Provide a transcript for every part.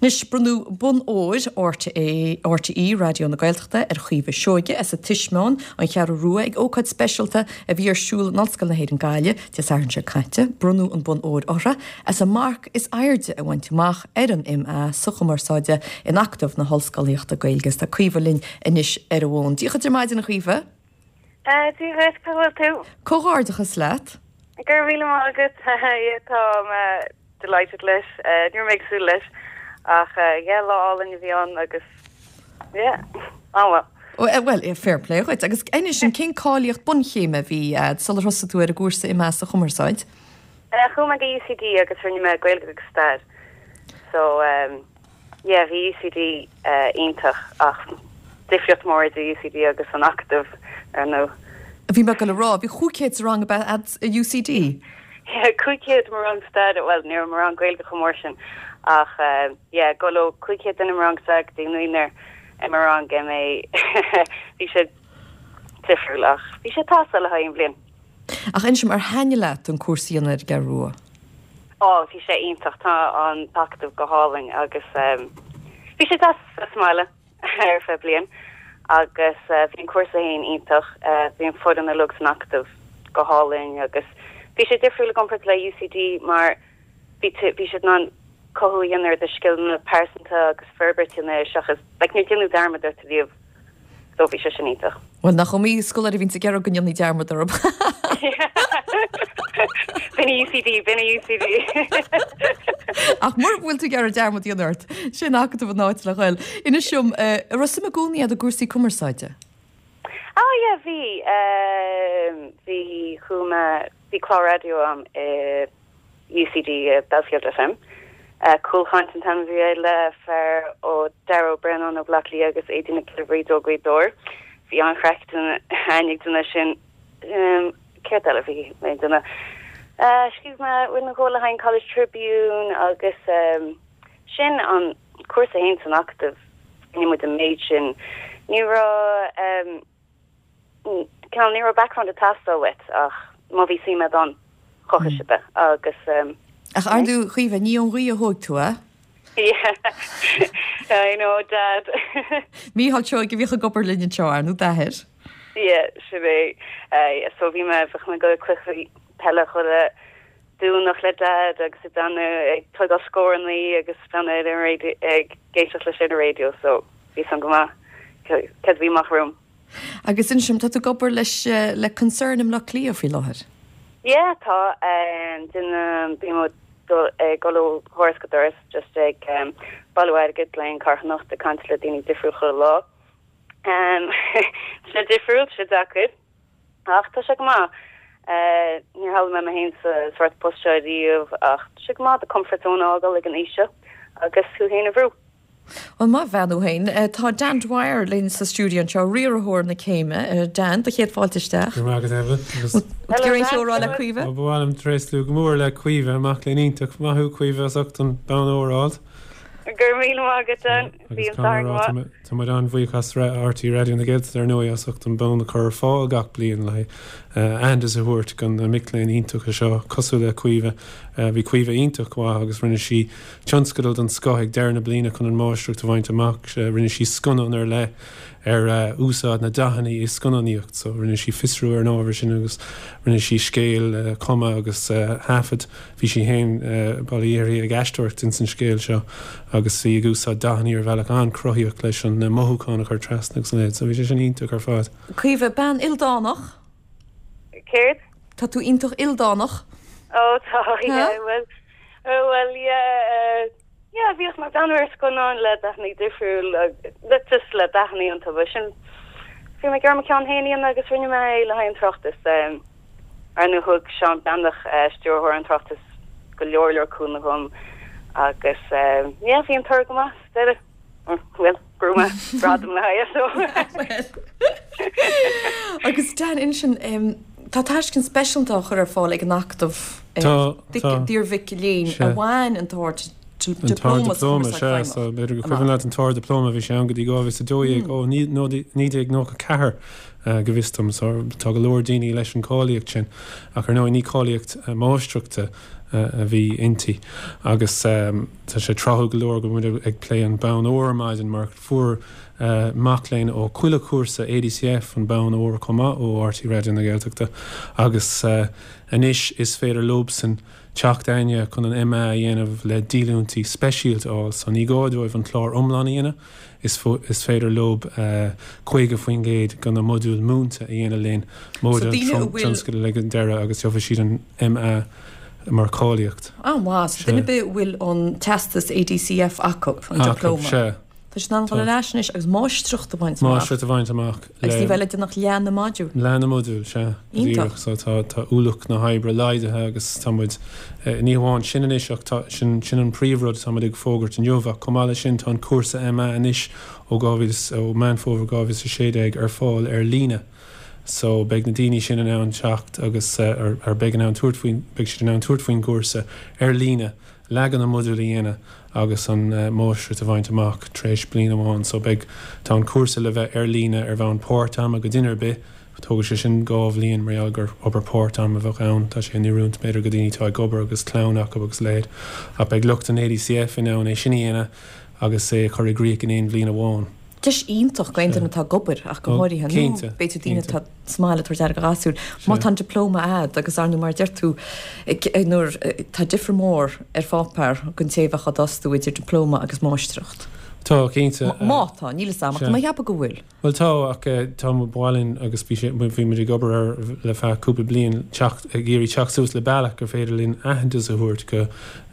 Anois, bronnadh Bonn Óir RTÉ, RTÉ Raidió na Gaeltachta ar Chaoimhe Seoige as an Tismeáin, An Cheathrú Rua, ag ócáid speisialta a bhí ar siúl in Ollscoil na hÉireann Gaillimh, Dé Sathairn seo caite. Bronnadh an Bonn Óir uirthi as an marc is airde a bhaint amach ar an MA sa Chumarsáid in Acadamh na hOllscolaíochta Gaeilge. Is tá Caoimhe linn anois ar an bhfón. Dia dhuit ar maidin, a Chaoimhe. Dia dhuit, cá bhfuil tú? Comhghairdeachas leat. Go raibh míle maith agat. Tá mé delighted leis. Ní raibh mé ag súil leis ach yeah, lá álainn a bhí ann agus yeah, an-mhaith. Bhuel, fair play dhuit. Agus inis dom, cén cáilíocht bunchéime a bhí a'd sular thosaigh tú ar an gcúrsa MA sa Chumarsáid? Chuaigh mé go UCD agus rinne mé Gaeilge agus Stair. So, Yeah, bhí UCD iontach ach difríocht mór idir UCD agus an Acadamh, ar ndóigh. Bhí mé ag dul a rá, bhí 500 sa rang ab ea a'd i UCD? Yeah, 500 i mo rang staire, bhuel, ní raibh mo rang Gaeilge chomh mór sin ach yeah, dul ó 500 duine i mo rang staire go dtí naonúr i mo rang MA, bhí sé difriúil ach bhí sé ag teastáil le haghaidh an bhliain. Ach inis dom, ar thaitnigh leat an cúrsa a dhéanamh ar an gCeathrú Rua? Ó, bhí sé iontach, tá an tAcadamh go hálainn agus bhí sé deas sa mbaile ar feadh bliain agus bhí an cúrsa féin iontach, bhí an foireann uilig san Acadamh go hálainn agus bhí sé difriúil i gcomparáid le UCD mar bhí bhí siad in ann cothú a dhéanamh ar do scileanna pearsanta agus forbairt a dhéanamh air seachas like níor déanadh dearmad ort riamh. So bhí sé sin iontach. Bhuel, nach iomaí scoláire a bhíonns ag iarraidh go ndéanfaí dearmad orthu. B'in í UCD, b'in í UCD. Ach mura bhfuil tú ag iarraidh dearmad a dhéanamh ort, sé an Acadamh an áit le ghoil. Inis dom, an raibh suim i gcónaí agat i gcúrsaí cumarsáide? Ah yeah, bhí. Bhí, chuaigh mé, bhí clár raidió a'm i UCD, Belfield FM. Cúlchaint an t-ainm a bhí air le fear ó Dara Ó Braonáin ó Bhaile Átha Cliath agus Aedín Nic Giolla Bhríde ó Ghaoth Dobhair. Bhí an-chraic againn ag déanamh sin. Céard eile a bhí mé ag déanamh? Scríobh mé rud nó dhó le haghaidh an College Tribune agus sin an cúrsa féin san Acadamh. Rinne muid an méid sin. Ní raibh. Cineál, ní raibh background ag teastáil uait ach má bhí suim agat ann, chothaigh siad é agus. Ach ar ndóigh, Caoimhe, ní ón ghaoth a thóig tú é. Yeah, I know, Dad. Mícheál Seoige a bhíodh ag obair linn anseo, ar ndóigh, d'athair. Yeah, sin é. So bhí mé, bheadh mé ag dul ag cluichí peile chuile Domhnach le Dad agus ag déanamh, ag tógáil scórannaí agus breathnú ar an raidió, ag éisteacht leis ar an raidió so bhí a fhios a'm go maith céard a bhí amach romham. Agus inis dom, tá tú ag obair leis, le Concern i mBleá Cliath faoi láthair? Yeah, tá, déanaim, bím ag dul, ag dul ó dhoras go doras just ag bailiú airgid le haghaidh an carthanacht, ag caint le daoine difriúil chuile lá. Tá sé difriúil, tá sé deacair. Ach tá sé go maith. Níor shamhlaigh mé mé féin sa sórt post seo riamh ach tá sé go maith do comfort zone a fhágáil ag an aois seo agus thú féin a bhrú. Bhuel, maith bhean thú féin. Tá Dan Dwyer linn sa stiúideo anseo, riarthóir na céime. Dan, do chéad fáilte isteach. Go raibh maith agat, Evelyn. Agus. Bhfuil tú ag iarraidh aon cheo a rá le Caoimhe? Ba mhaith liom tréaslú go mór le Caoimhe, mac léinn iontach. Maith thú, Caoimhe, as ucht an bonn óir a fháilt. Go raibh míle maith agat, Dan. Agus caithfidh mé a rá, tá muid an-bhuíoch as RTÉ Raidió na Gaeltachta ar ndóigh as ucht an bonn a chur ar fáil gach bliain le aitheantas a thabhairt do na mic léinn iontacha seo cosúil le Caoimhe. Bhí Caoimhe iontach mhaith agus rinne sí tionscadal den scoth ag deireadh na bliana chun an máistreacht a bhaint amach. Rinne sí scannán ar leith ar úsáid na dathanna i scannánaíocht so rinne sí fiosrú ar an ábhar sin agus rinne sí scéal a chumadh agus a thaifead. Bhí sí féin, bail ó Dhia uirthi, ag aisteoireacht ins an scéal seo agus í ag úsáid dathanna ar bhealach an-chruthaíoch leis an mothúchán a chur trasna agus a leithéid. So bhí sé sin iontach ar fad. Caoimhe, bean ildánach. Céard? Tá tú iontach ildánach. Ó tá, yeah, bhuel, bhuel, yeah, yeah, bhíodh mé ag breathnú ar scannáin le dathanna difriúil, le just le dathanna iontu, but sin, bhí mé ag iarraidh mo cheann féin a dhéanamh agus rinne mé é le haghaidh an tráchtas. Ar ndóigh thug Seán Breathnach, stiúrthóir an tráchtais, go leor leor cúnamh dhom agus yeah bhí an toradh go maith sa deireadh. Bhuel, bhuaigh mé gradam le haghaidh so. Agus Dan, inis dom, tá tairiscint speisialta á chur ar fáil ag an Acadamh d'iar-mhic léinn a bhain an tArd An tArd-Dioplóma, sea, so b'fhéidir gur cuimhin leat an tArd-Dioplóma, bhí sé ann go dtí 2012, ó 1994. go bhfios dom. So tá go leor daoine leis an cáilíocht sin ach ar ndóigh ní cáilíocht máistreachta a bhí inti. Agus tá sé tráthúil go leor go bhfuil muid ag plé an bonn óir ar maidin mar fuair mac léinn ó chuile chúrsa ADCF an bonn óir chomh maith ó RTÉ Raidió na Gaeltachta agus anois is féidir leobsan teacht againne chun an MA a dhéanamh le díolúintí speisialta a fháil. So ní gá dóibh an clár iomlán a dhéanamh, is féidir leob 50% de na modúil múinte a dhéanamh linn, móide an tionscadal ag an deireadh agus gheobhaidh siad an MA mar cháilíocht. An-mhaith. So duine ar bith a bhfuil an teastas ADCF acu, an dioplóma. Sea. Tá siad in ann dul ar ais anois agus máistreacht a bhaint amach. Máistreacht a bhaint amach. Agus ní bheidh le déanamh ach leath na modúl. Leath na modúl, sea. Go díreach. So tá, tá ualach na hoibre laghdaithe agus tá muid, ní hamháin sin anois ach tá, sin, sin an príomhrud atá muid ag fógairt inniu ach chomh maith leis sin tá an cúrsa MA anois ó 2000, ó Meán Fómhair 2016 ar fáil ar líne. So beidh na daoine sin in ann teacht agus, ar, ar beidh in ann tabhairt faoin, beidh siad in ann tabhairt faoin gcúrsa ar líne. leath de na modúil a dhéanamh agus an máistreacht a bhaint amach tar éis bliain amháin. So beidh, tá an cúrsa le bheith ar líne ar bhonn páirt-ama go duine ar bith. Tógfaidh sé sin dhá bhliain mar gheall gur obair páirt-ama a bheadh ann. Tá sé in oiriúint b'fhéidir go daoine atá ag obair agus clann acu agus a leithéid. Ach beidh lucht an ADCF in ann é sin a dhéanamh agus é a chur i gcrích in aon bhliain amháin. Deis iontach do aon duine atá ag obair ach go háirithe, nó b'fhéidir daoine atá sa mbaile ag tabhairt aire do ghasúir. Má tá an dioplóma a'd agus ar ndóigh mar a deir tú nuair tá difear mór ar pháipéar don té a bheadh á d'fhostú idir dioplóma agus máistreacht. Tá, cinnte. Má tá, níl 'fhios a'm ach tá mé ag ceapadh go bhfuil. Bhuel tá ach tá ba mhaith linn agus bhí sé bhí muid ag obair air le feadh cúpla bliain teacht ag iarraidh teacht suas le bealach gur féidir linn aitheantas a thabhairt go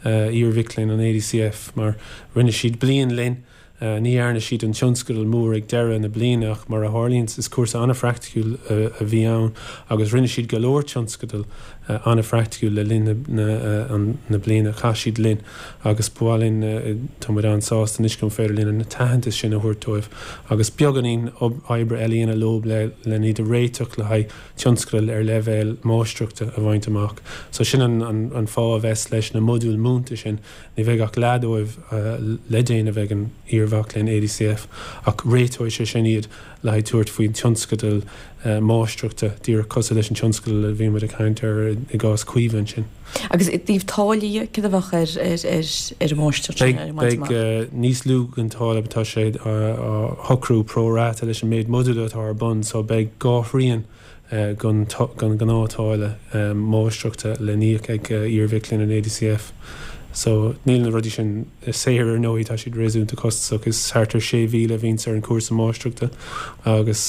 iar-mhic léinn an ADCF mar rinne siad bliain linn Ní dhearna siad an tionscadal mór ag deireadh na bliana ach mar a tharlaíonn is cúrsa an-phraiticiúil a bhí ann agus rinne siad go leor tionscadal an-phraiticiúil le linn na bliana a chaith siad linn agus ba mhaith linn, tá muid an-sásta anois go féidir linn an t-aitheantas sin a thabhairt dóibh agus beagáinín oibre eile a dhéanamh leo len iad a réiteach le haghaidh tionscadal ar leibhéal máistreachta a bhaint amach. So sin an fáth a bheas leis na modúil múinte sin. Ní bheidh ach leath dóibh le déanamh ag an iar-mhac léinn ADCF ach réiteoidh sé sin iad le haghaidh tabhairt faoin tionscadal máistreachta, díreach cosúil leis an tionscadal a bhí muid ag caint air i gcás Caoimhe ansin. Agus i dtaobh táillí dhe, céard a bheadh ar ar an máistreacht sin, ar an mbaint amach? Beidh níos lú den táille, tá sé á shocrú pro rata leis an méid modúl atá ar bun so beidh dhá thrian den ghnáth-táille máistreachta le n-íoc ag iar-mhic léinn an ADCF. So, níl na rudaí sin saor ar ndóigh, tá siad réasúnta costasach. Is thart ar 6,000 a bhíonns ar an chúrsa máistreachta agus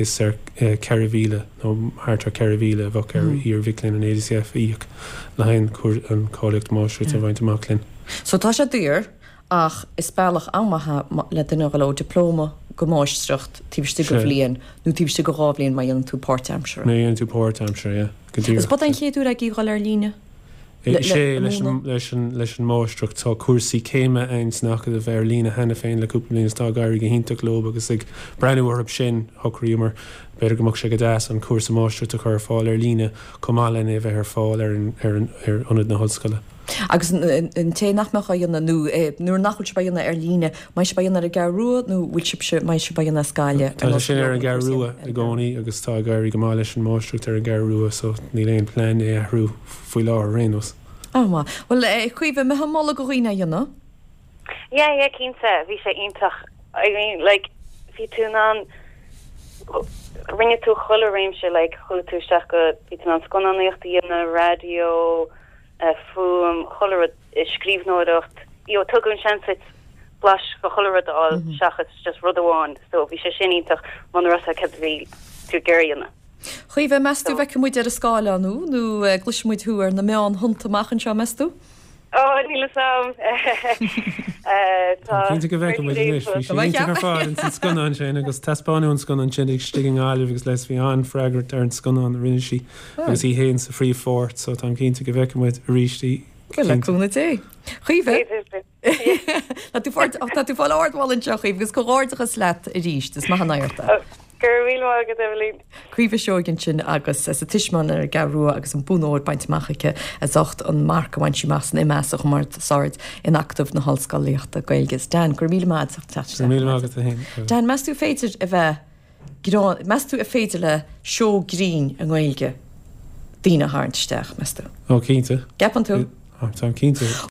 is ar 4,000 nó thart ar 4,000 a bheadh ar iar-mhic léinn an ADCF a íoc le haghaidh an cáilíocht máistreachta a bhaint amach linn. So, tá sé daor Ach is bealach an-mhaith é le duine a dhul ó dioplóma go máistreacht taobh istigh de bhliain nó taobh istigh de dhá bhliain má dhéanann tú páirtaimseartha. Má dhéanann tú páirtaimseartha, yeah. Go díreach. Is ab é an chéad uair agaibh dhul ar líne le Sea, leis an leis an leis an máistreacht. Tá cúrsaí céime againn san Acadamh ar líne cheana féin le cúpla bliain is tá ag éirí go hiontach leo agus ag breathnú orthu sin, shocraíomar b'fhéidir go mbeadh sé go deas an cúrsa máistreachta a chur ar fáil ar líne chomh maith lena bheith ar fáil ar an ar an ar ionad na hollscoile. Agus an té nach mbeadh á dhéanamh, nó nuair nach bhfuil sibh á dhéanamh ar líne, mbeidh sibh á dhéanamh ar an gCeathrú Rua nó bhfuil sibhse, mbeidh sibh á dhéanamh as Gaillimh? Tá sé sin ar an gCeathrú Rua i gcónaí agus tá ag éirí go maith leis an máistreacht ar an gCeathrú Rua so níl aon plean é a athrú faoi láthair ar aon nós. An-mhaith. Bhuel, a Chaoimhe, an mbeifeá ag moladh do dhaoine é a dhéanamh? Yeah, yeah, cinnte, bhí sé iontach. I mean, like, bhí tú in ann, rinne tú chuile réimse, like, chuaigh tú isteach go, bhí tú in ann scannánaíocht a dhéanamh, raidió, fuaim, chuile rud, scríbhneoireacht, you know, tugadh an seans duit blaiseadh de chuile rud a fháil seachas just rud amháin. So bhí sé sin iontach muna raibh a fhios agat céard a bhí tú ag iarraidh a dhéanamh. Chaoimhe, meas tú bhfeicfidh muid ar an scáileán thú nó gcloisfidh muid thú ar na meáin thonnta amach anseo, meas tú? Ó, níl a fhios a'm. Tá cinnte go bhfeicfidh muid anois. Bhí sí iontach ar fad ins an scannán sin agus taispeánadh an scannán sin istigh i nGaillimh agus les bhí an-fhreagairt ar an scannán a rinne sí. Agus í féin sa phríomhpháirt, so táim cinnte go bhfeicfidh muid arís í. Bhuel, le cúnamh Dé. Chaoimhe. Tá tú tá tú ag fáil ardmholadh anseo, Chaoimhe, agus comhghairdeachas leat arís, is maith an oidhreacht é. Go raibh míle maith agat, Eibhlín. Caoimhe Seoighe ansin agus as an Tismeáin ar an gCeathrú Rua agus an bonn óir bainte amach aici as ucht an marc a bhain sí amach san MA sa Chumarsáid in Acadamh na hOllscolaíochta Gaeilge. Dan, go raibh míle maith agat as ucht teacht isteach. Go raibh míle maith agat féin. Dan, meas tú féidir a bheith. Greann, meas tú ar féidir le seó grinn i nGaeilge daoine a tharraingt isteach, meas tú? Ó, cinnte. Gceapann tú? Táim cinnte.